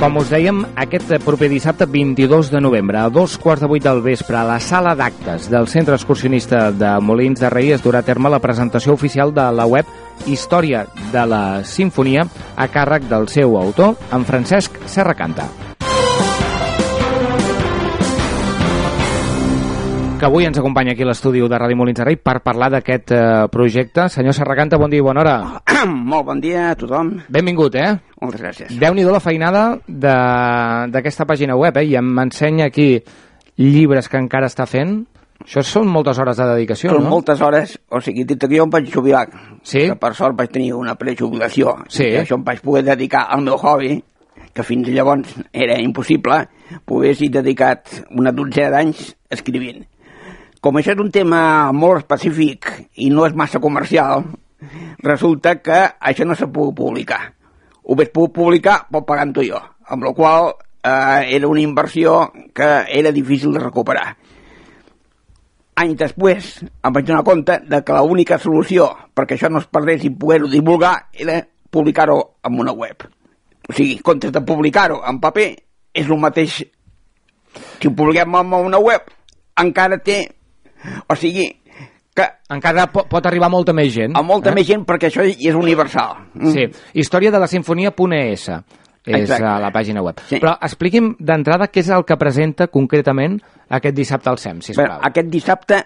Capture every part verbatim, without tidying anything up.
Com us dèiem, aquest proper dissabte vint-i-dos de novembre, a dos quarts de vuit del vespre, a la sala d'actes del Centre Excursionista de Molins de Rei es durà a terme la presentació oficial de la web Història de la Simfonia a càrrec del seu autor, en Francesc Serracanta. Que avui ens acompanya aquí a l'estudi de Ràdio Molins de Rei per parlar d'aquest eh, projecte. Senyor Serracanta, bon dia i bona hora. Molt bon dia a tothom. Benvingut, eh? Moltes gràcies. Déu-n'hi-do la feinada d'aquesta pàgina web, eh? I m'ensenya aquí llibres que encara està fent. Això són moltes hores de dedicació, són no? Són moltes hores. O sigui, dit que jo em vaig jubilar. Sí? Que per sort vaig tenir una prejubilació. Sí. I això em vaig poder dedicar al meu hobby, que fins llavors era impossible. Poder ser dedicat una dotzena d'anys escrivint. Com això és un tema molt específic i no és massa comercial, resulta que això no s'ha pogut publicar. Ho vaig pogut publicar però pagant-ho jo, amb la qual eh, era una inversió que era difícil de recuperar. Anys després em vaig donar compte de que l'única solució perquè això no es perdés i poder-ho divulgar era publicar-ho en una web. O sigui, en comptes de publicar-ho en paper, és el mateix. Si ho publiquem en una web, encara té... O sigui, que... Encara pot, pot arribar a molta més gent. A molta eh? més gent, perquè això és universal. Sí, història de la sinfonia punt e essa és Exacte. A la pàgina web. Sí. Però expliqui'm d'entrada què és el que presenta concretament aquest dissabte al S E M, sisplau. Bé, aquest dissabte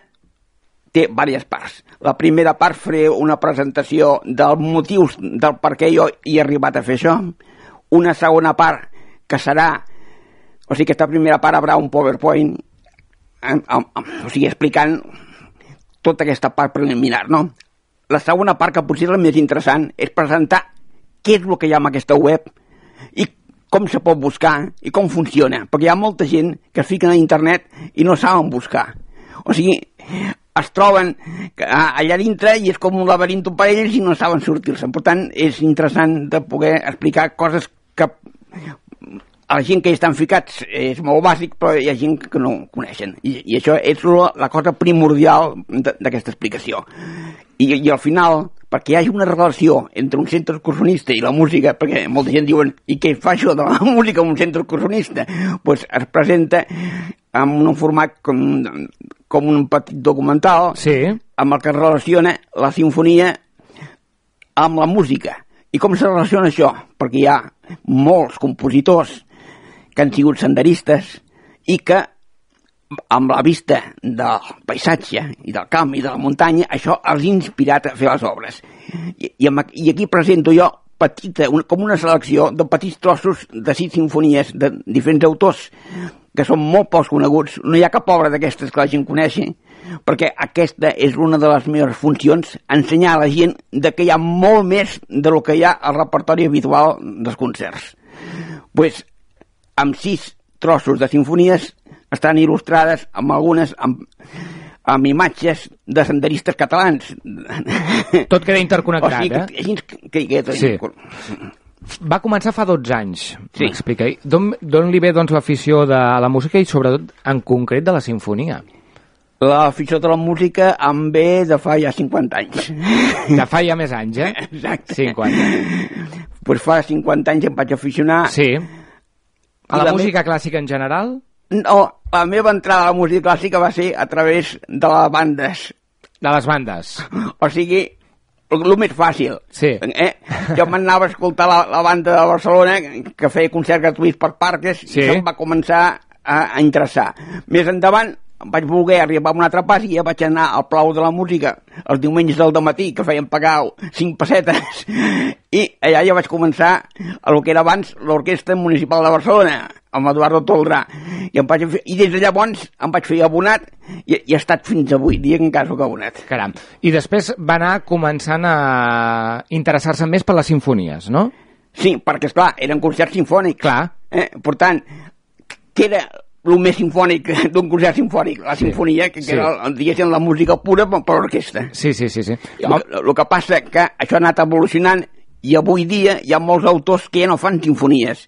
té diverses parts. La primera part faré una presentació dels motius del per què jo hi he arribat a fer això. Una segona part que serà... O sigui, aquesta primera part haurà un PowerPoint, o sigui, explicant tota aquesta part preliminar, no? La segona part, que potser és la més interessant, és presentar què és el que hi ha en aquesta web i com se pot buscar i com funciona, perquè hi ha molta gent que es fiquen a internet i no saben buscar. O sigui, es troben allà dintre i és com un laberint per ells i no saben sortir-se. Per tant, és interessant de poder explicar coses que a la gent que hi estan ficats és molt bàsic, però hi ha gent que no ho coneixen. I, i això és la, la cosa primordial d'aquesta explicació. I, I al final, perquè hi hagi una relació entre un centre excursionista i la música, perquè molta gent diuen, i què fa això de la música en un centre excursionista? Doncs es presenta en un format com, com un petit documental, sí, amb el que es relaciona la sinfonia amb la música. I com se relaciona això? Perquè hi ha molts compositors que han sigut senderistes i que amb la vista del paisatge i del camp i de la muntanya això els ha inspirat a fer les obres. I, i, i aquí presento jo petita, una, com una selecció de petits trossos de sis sinfonies de diferents autors que són molt pocs coneguts. No hi ha cap obra d'aquestes que la gent coneixi, perquè aquesta és una de les meves funcions, ensenyar a la gent de que hi ha molt més de lo que hi ha al repertori habitual dels concerts. Pues, amb sis trossos de sinfonies estan il·lustrades amb algunes amb, amb imatges de senderistes catalans. Tot queda interconnectat, o sigui, eh? Així que queda sí. Va començar fa dotze anys, sí. M'explica. D'on li ve doncs, l'afició de la música i sobretot en concret de la sinfonia? L'afició de la música em ve de fa ja cinquanta anys. De fa ja més anys, eh? Exacte. cinquanta. Pues fa cinquanta anys em vaig aficionar. Sí. A la, la música me... clàssica en general? No, la meva entrada a la música clàssica va ser a través de les bandes. De les bandes. O sigui, el més fàcil. Sí. Eh? Jo m'anava a escoltar la, la banda de Barcelona que feia concerts gratuïts per parques, sí. I això em va començar a, a interessar. Més endavant vaig voler arribar a un altre pas i ja vaig anar al Palau de la Música els diumenges del dematí, que feien pagar cinc pessetes, i allà ja vaig començar a lo que era abans l'Orquestra Municipal de Barcelona, amb Eduardo Toldrà, i, em vaig fer, i des de llavors em vaig fer abonat i, i he estat fins avui dia que encara soc abonat. Caram. I després va anar començant a interessar-se més per les sinfonies, no? Sí, perquè, esclar, eren concerts sinfònics. Clar. Eh? Per tant, que era el més sinfònic d'un concert sinfònic, la sí. Sinfonia, que, que sí. Era, diguéssim, la música pura per, per l'orquestra. Sí, sí, sí. sí. El, el que passa que això ha anat evolucionant i avui dia hi ha molts autors que ja no fan sinfonies.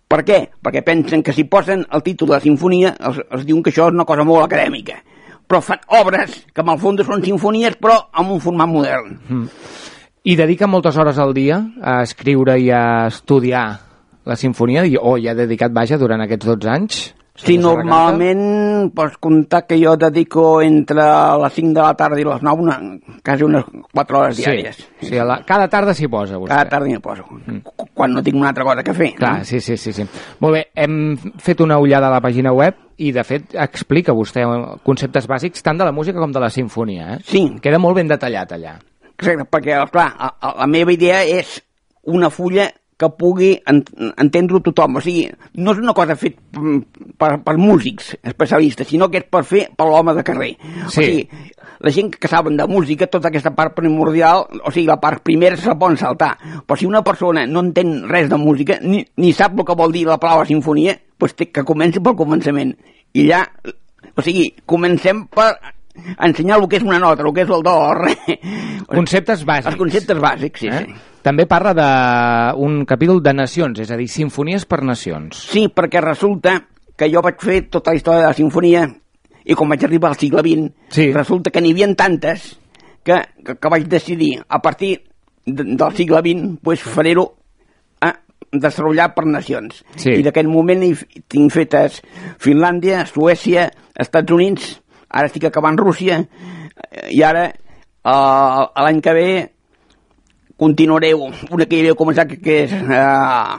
Per què? Perquè pensen que si posen el títol de la sinfonia els, els diuen que això és una cosa molt acadèmica. Però fan obres que en el fons són sinfonies però amb un format modern. Mm. I dedica moltes hores al dia a escriure i a estudiar la sinfonia, o ja dedicat, vaja, durant aquests dotze anys? Sí, normalment pots comptar que jo dedico entre les cinc de la tarda i les nou, una, quasi unes quatre hores diàries. Sí, sí la, cada tarda s'hi posa, vostè. Cada tarda m'hi poso, mm. quan no tinc una altra cosa que fer. Clar, no? sí, sí, sí, sí. Molt bé, hem fet una ullada a la pàgina web i, de fet, explica vostè conceptes bàsics tant de la música com de la sinfonia, eh? Sí. Queda molt ben detallat allà. Exacte, perquè, clar, la, la meva idea és una fulla que pugui entendre-ho tothom. O sigui, no és una cosa fet per, per músics especialistes, sinó que és per fer per l'home de carrer. Sí. O sigui, la gent que saben de música, tota aquesta part primordial, o sigui, la part primera se la poden saltar. Però si una persona no entén res de música, ni, ni sap el que vol dir la paraula sinfonia, doncs té que comenci pel començament. I ja, o sigui, comencem per ensenyar el que és una nota, el que és el do, el re. Conceptes bàsics. Els conceptes bàsics, sí, eh? sí. També parla d'un capítol de nacions, és a dir, sinfonies per nacions. Sí, perquè resulta que jo vaig fer tota la història de la sinfonia i com vaig arribar al segle vint, sí. resulta que n'hi havia tantes que, que, que vaig decidir, a partir de, del segle vint, pues, faré-ho a desenvolupar per nacions. Sí. I d'aquest moment hi tinc fetes Finlàndia, Suècia, Estats Units, ara estic acabant Rússia, i ara, uh, l'any que ve, continuaré una que hi havia començat, que, que és uh,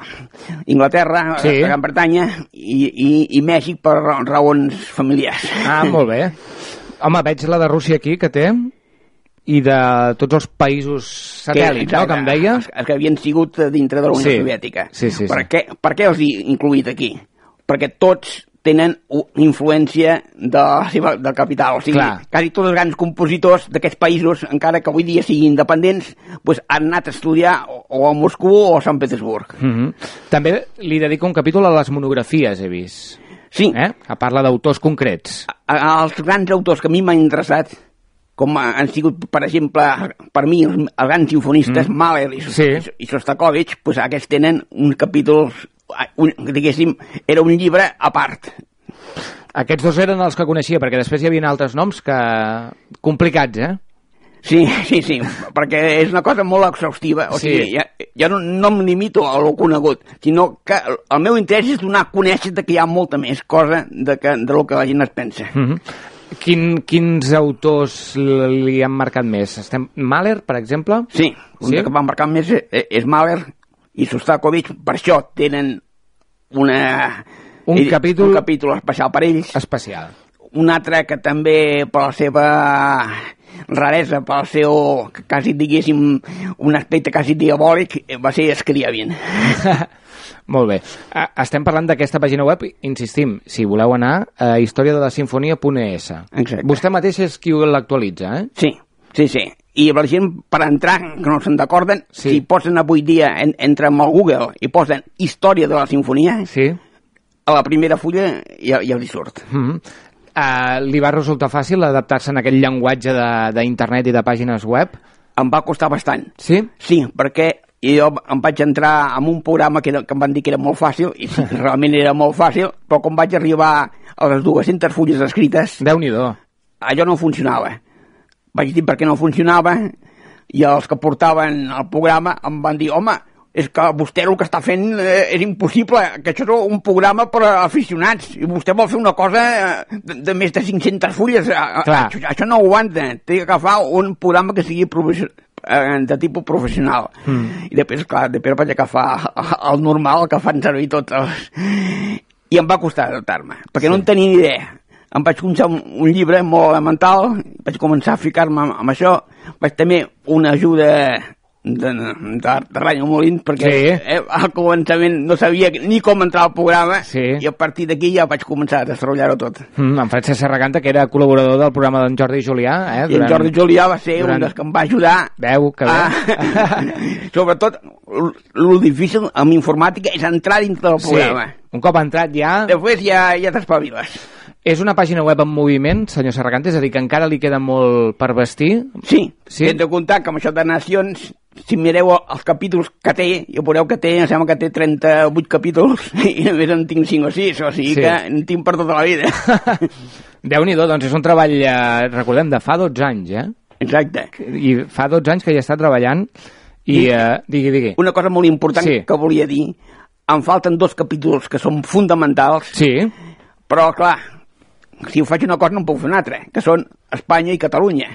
Inglaterra, sí. Gran Bretanya i, i, i Mèxic per raons familiars. Ah, molt bé. Home, veig la de Rússia aquí, que té, i de tots els països satèl·lits, que, no?, que em deia. Els, els que havien sigut dintre de la Unió sí. Soviètica. Sí, sí, per, sí. Què, per què els he incluït aquí? Perquè tots tenen influència de la seva del capital. O sigui, Clar. quasi tots els grans compositors d'aquests països, encara que avui dia siguin independents, pues, han anat a estudiar o, o a Moscou o a Sant Petersburg. Mm-hmm. També li dedico un capítol a les monografies, he vist. Sí. Eh? A parla d'autors concrets. A, a, els grans autors que a mi m'han interessat, com han sigut, per exemple, per mi, els, els grans sinfonistes, mm. Mahler i, sí. i Shostakovich, pues, aquests tenen uns capítols, un, diguéssim, era un llibre a part. Aquests dos eren els que coneixia, perquè després hi havia altres noms que... complicats, eh? Sí, sí, sí, perquè és una cosa molt exhaustiva. O sí. sigui, ja, ja no, no em limito a lo conegut, sinó que el meu interès és donar a conèixer que hi ha molta més cosa de, que, de lo que la gent es pensa. Mm-hmm. Quin, quins autors li han marcat més? Estem... Mahler, per exemple? Sí, un sí? que m'ha marcat més és, és Mahler i Shostakovich, per això tenen una... Un, ell, capítol... un capítol especial per ells. Especial. Un altre que també, per la seva raresa, per el seu, quasi diguéssim, un aspecte quasi diabòlic, va ser Scriabin. Molt bé. Estem parlant d'aquesta pàgina web, insistim, si voleu anar a història de la sinfonia punt e essa. Exacte. Vostè mateix és qui l'actualitza, eh? Sí, sí, sí. I la gent, per entrar, que no se'n recorden, sí. si posen avui dia, en, entren al Google i posen història de la sinfonia, sí. a la primera fulla ja, ja li surt. Mm-hmm. uh, li va resultar fàcil adaptar-se en aquell llenguatge d'internet i de pàgines web? Em va costar bastant. Sí? Sí, perquè jo em vaig entrar en un programa que, era, que em van dir que era molt fàcil, i sí, realment era molt fàcil, però quan vaig arribar a les dues-centes fulles escrites... Déu-n'hi-do. Allò no funcionava. Vaig dir per què no funcionava, i els que portaven el programa em van dir, home, és que vostè el que està fent eh, és impossible, que això és un programa per a aficionats, i vostè vol fer una cosa de, de més de cinc-centes fulles. Això, això no aguanta. Té que agafar un programa que sigui de tipus professional. Mm. I després, clar, després vaig agafar el normal, el que fan servir tots els... I em va costar adaptar-me, perquè sí. no en tenia ni idea. Em vaig començar un, un llibre molt elemental, vaig començar a ficar-me amb, amb això, vaig tenir una ajuda de, de, de Ràdio Molins, perquè sí. eh, al començament no sabia ni com entrar al programa, sí. i a partir d'aquí ja vaig començar a desenvolupar-ho tot. Mm, en Francesc Serracanta, que era col·laborador del programa d'en Jordi Julià. Eh, durant... I en Jordi Julià va ser durant... un dels que em va ajudar. Veu, que bé. A... Sobretot, el difícil amb informàtica és entrar dintre del programa. Sí. Un cop entrat ja... Després ja, ja t'espaviles. És una pàgina web en moviment, senyor Serracanta, és a dir, que encara li queda molt per vestir? Sí, sí? Hem de comptar que amb això de Nacions, si mireu els capítols que té, ja veureu que té, em sembla que té trenta-vuit capítols, i a més en tinc cinc o sis, o sigui sí. que en tinc per tota la vida. Déu-n'hi-do, doncs és un treball, eh, recordem, de fa dotze anys, eh? Exacte. I fa dotze anys que ja està treballant, i, I eh, digui, digui. Una cosa molt important sí. que volia dir, em falten dos capítols que són fonamentals, sí. Però, clar, si ho faig una cosa no em puc fer una altra, que són Espanya i Catalunya.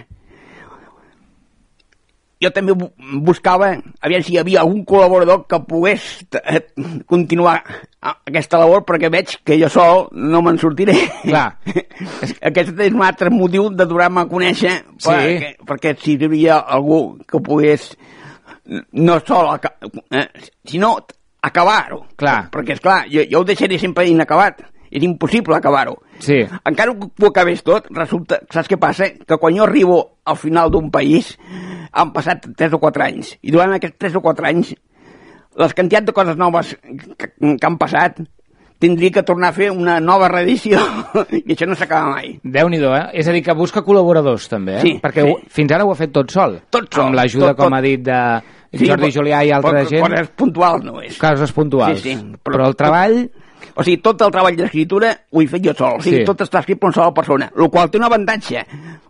Jo també buscava, aviam si hi havia algun col·laborador que pogués continuar aquesta labor, perquè veig que jo sol no me'n sortiré. Clar. Aquest és un altre motiu de donar-me a conèixer, sí. perquè, perquè si hi havia algú que pogués no sol, eh, sinó acabar-ho. Clar. Perquè, esclar, jo, jo ho deixaré sempre inacabat. És impossible acabar-ho. Sí. Encara que ho acabés tot, resulta, saps què passa? Que quan jo arribo al final d'un país han passat tres o quatre anys, i durant aquests tres o quatre anys les quantitats de coses noves que, que han passat tindria que tornar a fer una nova reedició i això no s'acaba mai. Déu-n'hi-do, eh? És a dir, que busca col·laboradors també, eh? Sí, perquè sí. Fins ara ho ha fet tot sol. Tot sol. Amb l'ajuda, tot, com tot. ha dit, de Jordi sí, Julià i altra però, gent. Coses puntuals no és. Casos puntuals. Sí, sí. Però, però el treball... O sigui, tot el treball d'escriptura ho he fet jo sol. O sigui, sí. Tot està escrit per una sola persona, el qual té un avantatge,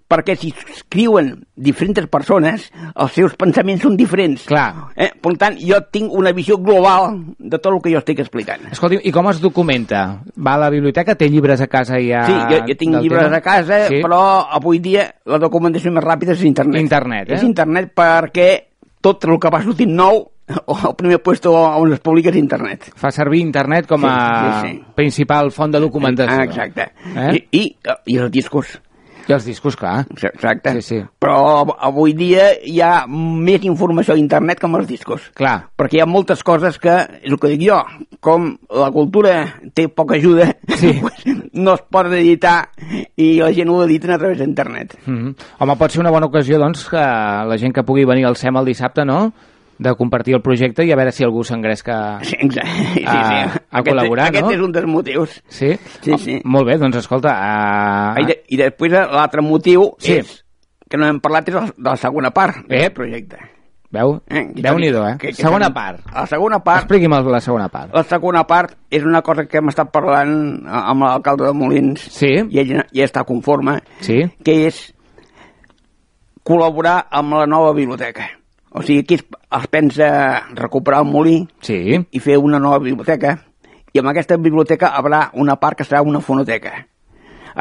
perquè si escriuen diferents persones, els seus pensaments són diferents. Clar. Eh? Per tant, jo tinc una visió global de tot el que jo estic explicant. Escolti, i com es documenta? Va a la biblioteca? Té llibres a casa ja? Sí, jo, jo tinc llibres tema? a casa, sí. Però avui dia la documentació més ràpida és internet. Internet, eh? És internet perquè tot el que va sortint nou o el primer puesto on es publica és internet. Fa servir internet com a sí, sí, sí. principal font de documentació. Exacte. Eh? I, i, I els discos. I els discos, clar. Exacte. Sí, sí. Però avui dia hi ha més informació a internet que amb els discos. Clar. Perquè hi ha moltes coses que, és el que dic jo, com la cultura té poca ajuda, sí. no es pot editar i la gent ho editen a través d'internet. Mm-hmm. Home, pot ser una bona ocasió, doncs, que la gent que pugui venir al S E M el dissabte, no?, de compartir el projecte i a veure si algú s'engresca sí, sí, sí, a, sí. a col·laborar, aquest, no? Aquest és un dels motius. Sí? Sí, oh, sí. Molt bé, doncs escolta... Uh... I, de, i després l'altre motiu sí. és, que no hem parlat, és de la segona part eh? del projecte. Veu? Eh? Déu-n'hi-do, eh? Que, que segona que, part. La segona part... Expliqui'm la segona part. La segona part és una cosa que hem estat parlant amb l'alcalde de Molins, sí. i ell ja està conforme, sí. que és col·laborar amb la nova biblioteca. O sigui, aquí es, es pensa recuperar el molí sí. i fer una nova biblioteca, i amb aquesta biblioteca hi haurà una part que serà una fonoteca.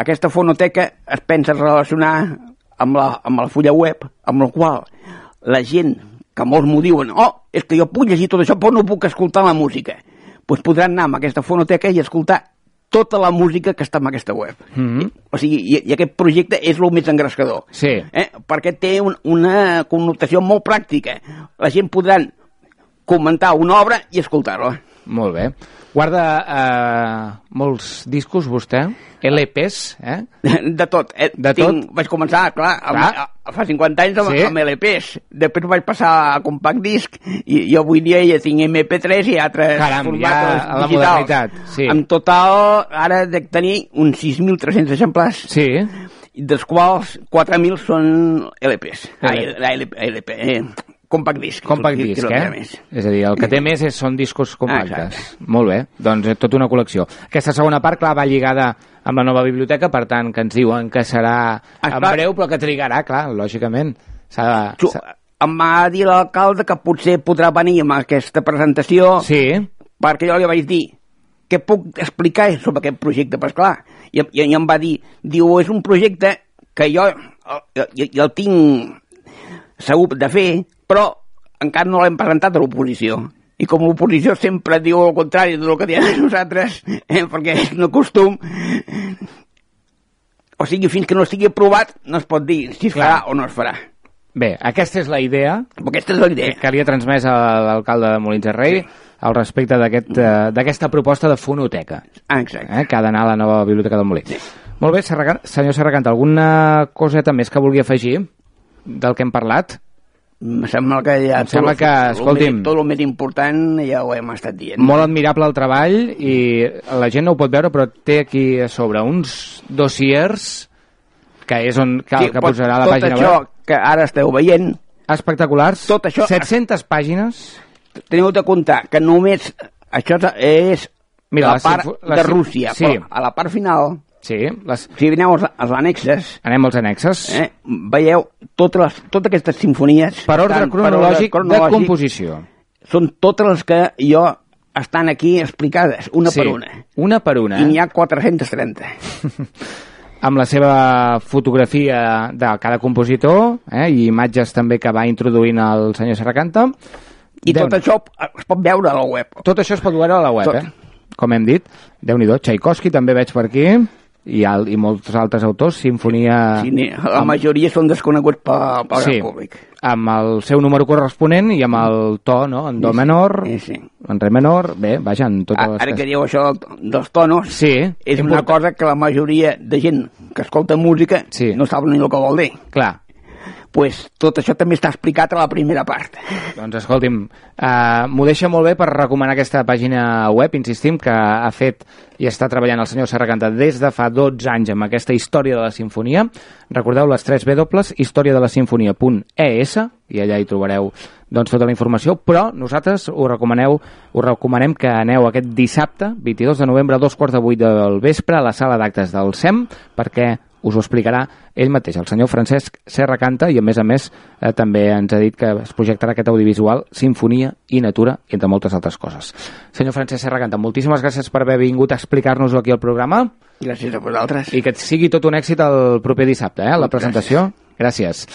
Aquesta fonoteca es pensa relacionar amb la, amb la fulla web, amb la qual la gent, que molts m'ho diuen, oh, és que jo puc llegir tot això però no puc escoltar la música, doncs podran anar amb aquesta fonoteca i escoltar tota la música que està en aquesta web. Mm-hmm. I, o sigui, i, i aquest projecte és el més engrescador. Sí. Eh? Perquè té un, una connotació molt pràctica. La gent podran comentar una obra i escoltar-la. Molt bé. Guarda eh, molts discos, vostè? L Ps, eh? De tot. Eh? De Tinc, tot? Vaig començar, clar, amb, clar. A, fa cinquanta anys amb, sí. amb L Ps. Després vaig passar a compact disc i, i avui dia ja tinc M P tres i altres Caram, formats ja digitals. A la modernitat, sí. En total, ara dec tenir uns sis mil tres-cents exemplars. Sí. Dels quals quatre mil són L Ps. L... Ah, L P, L P, eh? Compact disc. Compact disc, eh? Més. És a dir, el que té més és, són discos compactes. Ah, molt bé, doncs és tota una col·lecció. Aquesta segona part, clar, va lligada amb la nova biblioteca, per tant, que ens diuen que serà ah, en breu, però que trigarà, clar, lògicament. S'ha de... Em va dir l'alcalde que potser podrà venir amb aquesta presentació, sí. perquè jo li vaig dir què puc explicar sobre aquest projecte, però esclar, i, i, i em va dir, diu, és un projecte que jo, jo, jo el tinc segur de fer, però encara no l'hem presentat a l'oposició. I com l'oposició sempre diu el contrari del que diem nosaltres, eh, perquè és un costum, o sigui, fins que no estigui aprovat no es pot dir si es farà o no es farà. Bé, aquesta és la idea, aquesta és la idea. que li ha transmès a l'alcalde de Molins de Rei, sí. al respecte d'aquesta aquest, proposta de fonoteca. Ah, exacte. Eh, que ha d'anar a la nova biblioteca del Molí. Sí. Molt bé, Serracant, senyor Serracant, alguna coseta més que vulgui afegir del que hem parlat? Em sembla que ja em sembla tot, que, escolti'm, tot el més important ja ho hem estat dient. Molt admirable el treball i la gent no ho pot veure, però té aquí a sobre uns dossiers que és on cal, sí, que posarà la pàgina web. Tot això que ara esteu veient... Espectaculars. Tot això... set-centes pàgines. Teniu de comptar que només això és Mira, la part la, de Rússia, sí. però a la part final... Sí, les... Si aneu als, als annexes... Anem als annexes. Eh, veieu totes, les, totes aquestes sinfonies... Per ordre, cronològic, per ordre cronològic de composició. Són totes les que jo estan aquí explicades, una sí, per una. Una per una. I n'hi ha quatre-centes trenta. Amb la seva fotografia de cada compositor, eh, i imatges també que va introduint el senyor Serracanta. I Déu tot això es pot veure a la web. Tot això es pot veure a la web, tot. eh? Com hem dit. Déu-n'hi-do, Tchaikovsky també veig per aquí, i, al, i molts altres autors, Sinfonia... Sí, la amb... majoria són desconeguts pel, pel sí, gran públic. Amb el seu número corresponent i amb el to, no? En do sí, menor, sí, sí. en re menor, bé, vaja, en totes les... Ara que diu això dels tonos, sí, és una important. Cosa que la majoria de gent que escolta música sí. no sap ni el que vol dir. Clar. Pues tot això també està explicat a la primera part. Doncs escolti'm, uh, m'ho deixa molt bé per recomanar aquesta pàgina web, insistim, que ha fet i està treballant el senyor Serracanta des de fa dotze anys amb aquesta història de la sinfonia. Recordeu les tres W, història de la sinfonia punt e essa, i allà hi trobareu doncs, tota la informació, però nosaltres us, recomaneu, us recomanem que aneu aquest dissabte, vint-i-dos de novembre, a dos quarts de vuit del vespre, a la sala d'actes del S E M, perquè us ho explicarà ell mateix, el senyor Francesc Serracanta, i a més a més eh, també ens ha dit que es projectarà aquest audiovisual Sinfonia i Natura, entre moltes altres coses. Senyor Francesc Serracanta, moltíssimes gràcies per haver vingut a explicar-nos-ho aquí al programa. Gràcies a vosaltres. I que sigui tot un èxit el proper dissabte, eh, la presentació. Gràcies.